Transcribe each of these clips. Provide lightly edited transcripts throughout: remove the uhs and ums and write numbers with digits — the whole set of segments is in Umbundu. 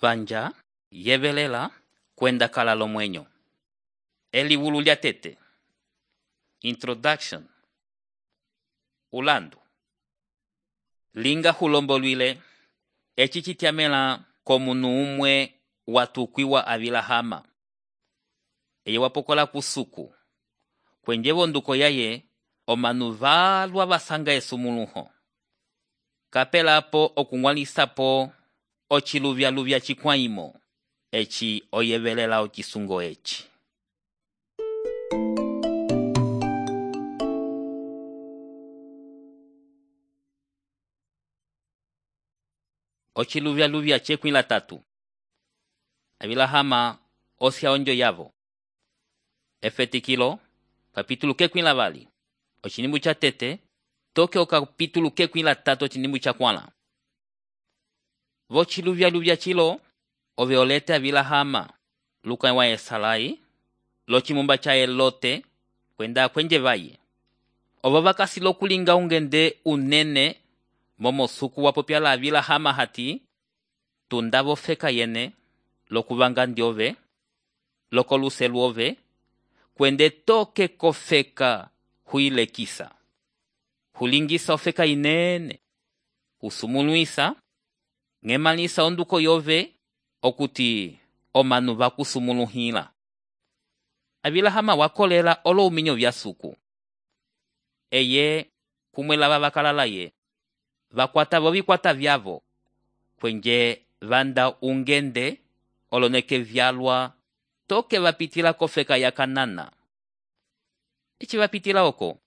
vanja yevelela kwenda kala lomwenyo. Elivulu lya tete. Introduction. Ulandu. Linga hulombolwile eci citiamela komunu umwe watukwiwa avilahama. Eye wapokola kusuku. Kwenje vonduko yaye omanu valwa basanga esumuluho. Kapelapo okungwalisapo ochiluvya chikwaimo. Eci oyevelela ochisungo eci. Ochiluvya chekwila tatu. Avilahama osya onjo yavo. Efetikilo, kapitulu kekwila vali. Ochinimbu cha tete, toke o kapitulu kekwila tatu ochinimbu cha kwala. Vochiluvya chilo, oveolete avilahama, luka wa esalai, lochimumba cha elote, kwenda kwenje vaye. Ovavakasi lokulinga ungende unene, momo suku wapopiala avilahama hati, tundavo feka yene, lokuvanga ndiove, lokoluselu ove, kwende toke kofeka huile kisa. Hulingisa ofeka inene, usumuluisa, ngemalisa onduko yove, okuti omanu vakusumuluhila. Avilahama wakolela olo uminyo vya suku. Eye kumwela vavakalala ye, vakwata vovikwata vyavo, kwenje vanda ungende, oloneke vyalwa, toke vapitila kofeka ya Kanana. Ichi vapitila oko,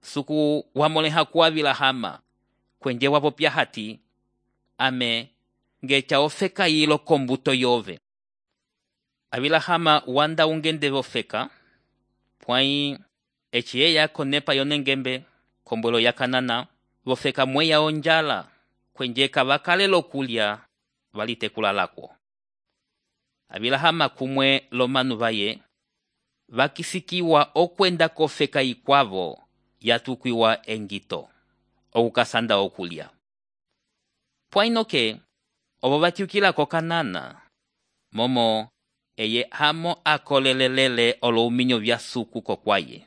suku wamoleha kuwa vilahama, kwenje wapopya hati, ame ngecha ofeka yilo kombuto yove. Avilahama wanda ungende vofeka, pwai echi eya konepa yonengembe, kombolo ya Kanana, vofeka mweya onjala, kwenje kavakale lokulya, valite kulalako. Avilahama kumwe lomanu vaye, vakisikiwa okwenda kofeka ikwavo, yatukwiwa engito, okukasanda okulya. Pwainoke, ovo vatiukila ko Kanana, momo eye hamo akolelelele olo uminyo vya suku kokwaye.